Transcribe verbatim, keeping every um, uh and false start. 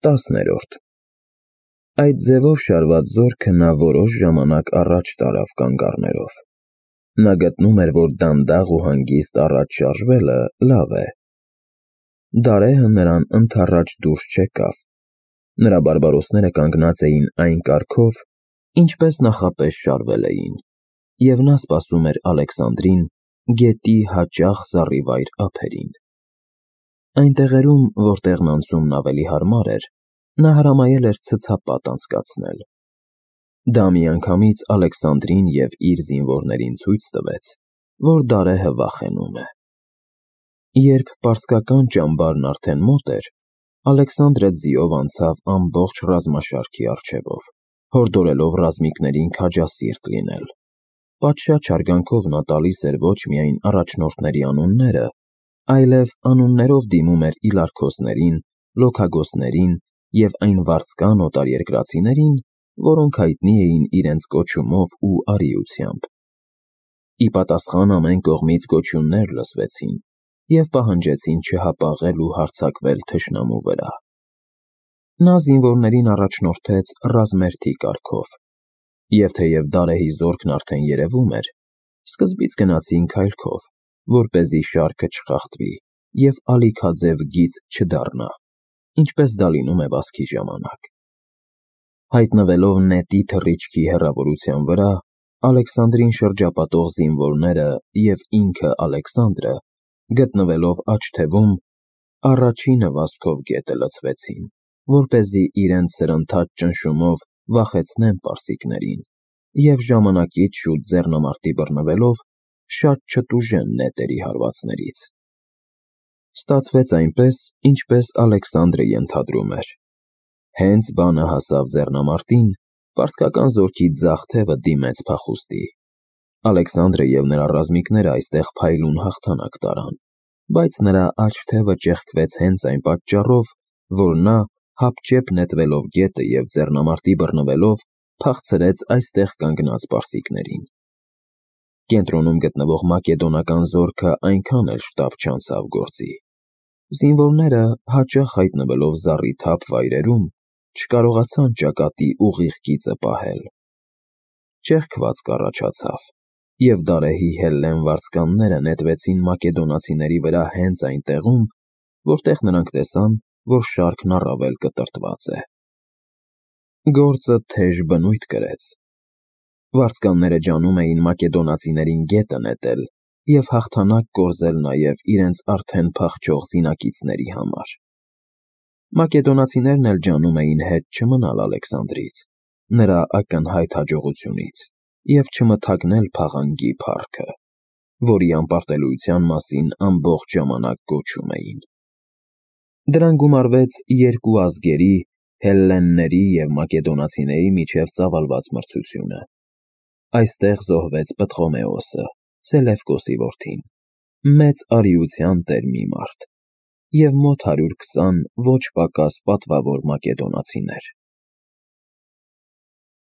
տասներորդ Այդ ձևով շարված զորքը նա որոշ ժամանակ առաջ տարավ կանգառներով։ Նա գտնում էր, որ դանդաղ ու հանգիստ առաջ շարժվելը լավ է։ Դարեհը նրան ընդառաջ դուրս չեկավ։ Նրա բարբարոսները կանգնած էին այն կարգով, ինչպես նախապես շարվել էին, և նա սպասում էր Ալեքսանդրին գետի հաճախ զառիվայր ափերին։ Այն տեղերում, որտեղն անցումն ավելի հարմար էր, նա հրամայել էր ցցապատ անցկացնել։ Դա միանգամից Ալեքսանդրին և իր զինվորներին ցույց տվեց, որ Դարեհը վախենում է։ Երբ պարսկական ճամբարն արդեն մոտ էր, Ալեքսանդրը ձիով անցավ ամբողջ ռազմաշարքի առջևով, հորդորելով ռազմիկներին քաջասիրտ լինել։ Պատշաճ հարգանքով նա տալիս էր ոչ միայն առաջնորդների անունները, այլև անուններով դիմում էր իլարքոսներին, լոքագոսներին և այն վարձկան օտարերկրացիներին, որոնք հայտնի էին իրենց կոչումով ու արիությամբ։ Ի պատասխան ամեն կողմից գոչյուններ լսվեցին և պահանջեցին չհապաղել ու հարձակվել թշնամու վրա։ Նա զինվորներին առաջնորդեց ռազմերթի կարգով, և թեև Դարեհի զորքն արդեն երևում էր, սկզբից գնացին քայլքով, որպեսզի շարքը չխախտվի և ալիքաձև գիծ չդառնա, ինչպես դա լինում է վազքի ժամանակ։ Հայտնվելով նետի թռիչքի հեռավորության վրա, Ալեքսանդրին շրջապատող զինվորները և ինքը Ալեքսանդրը, գտնվելով աջ թևում, առաջինը վազքով գետը լցվեցին, որպեսզի իրենց սրընթաց ճնշումով վախեցնեն պարսիկներին և ժամանակից շուտ ձեռնամարտի բռնվելով շատ չտուժեն նետերի հարվածներից։ Ստացվեց այնպես, ինչպես Ալեքսանդրը ենթադրում էր։ Հենց բանը հասավ ձեռնամարտին, պարսկական զորքի ձախ թևը դիմեց փախուստի։ Ալեքսանդրը և նրա ռազմիկները այստեղ փայլուն հաղթանակ տարան, բայց նրա աջ թևը ճեղքվեց հենց այն պատճառով, որ նա, հապճեպ նետվելով գետը և ձեռնամարտի բռնվելով, փախցրեց այստեղ կանգնած պարսիկներին։ Կենտրոնում գտնվող մակեդոնական զորքը այնքան էլ շտապ չանցավ գործի։ Զինվորները, հաճախ հայտնվելով զառիթափ վայրերում, չկարողացան ճակատի ուղիղ գիծը պահել։ Ճեղքվածք առաջացավ, և Դարեհի հելլեն վարձկանները նետվեցին մակեդոնացիների վրա հենց այն տեղում, որտեղ նրանք տեսան, որ շարքն առավել կտրտված է։ Գործը թեժ բնույթ կրեց։ Վարձկանները ջանում էին մակեդոնացիներին գետը նետել և հաղթանակ կորզել նաև իրենց արդեն փախչող զինակիցների համար։ Մակեդոնացիներն էլ ջանում էին հետ չմնալ Ալեքսանդրից, նրա ակնհայտ հաջողությունից և չմթագնել փաղանգի փառքը, որի անպարտելիության մասին ամբողջ ժամանակ գոչում էին։ Դրան գումարվեց երկու ազգերի՝ հելլենների և մակեդոնացիների միջև ծավալված մրցությունը։ Այստեղ զոհվեց Պտղոմեոսը, Սելևկոսի որդին, մեծ արիության տեր մի մարդ, և մոտ հարյուր քսան ոչ պակաս պատվավոր մակեդոնացիներ։